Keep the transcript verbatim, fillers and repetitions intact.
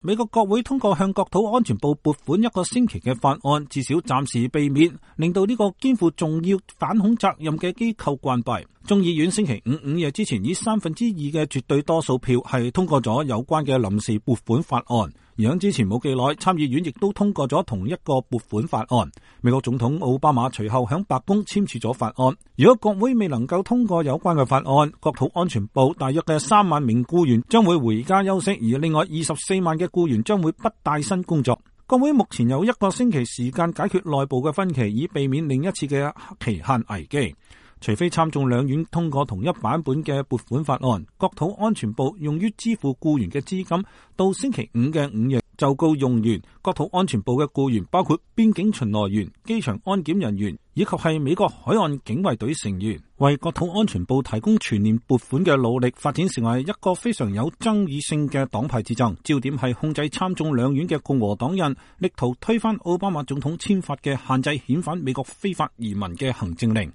美國國會通過向國土安全部撥款一個星期嘅法案，至少暫時避免令到呢個肩負重要反恐責任嘅機構關閉。眾議院星期五午夜之前以三分之二嘅絕對多數票係通過咗有關嘅臨時撥款法案，而喺之前冇幾耐，參議院亦都通過咗同一個撥款法案。美國總統奧巴馬隨後響白宮簽署咗法案。如果國會未能夠通過有關嘅法案，國土安全部大約嘅三萬名僱員將會回家休息，而另外二十四萬嘅僱員將會不帶薪工作。國會目前有一個星期時間解決內部嘅分歧，以避免另一次嘅期限危機。除非參眾兩院通過同一版本嘅撥款法案，國土安全部用於支付僱員嘅資金到星期五嘅午夜就告用完。國土安全部嘅僱員包括邊境巡邏員、機場安檢人員以及係美國海岸警衛隊成員，為國土安全部提供全年撥款嘅努力發展成為一個非常有爭議性嘅黨派之爭。焦點係控制參眾兩院嘅共和黨人力圖推翻奧巴馬總統簽發嘅限制遣返美國非法移民嘅行政令。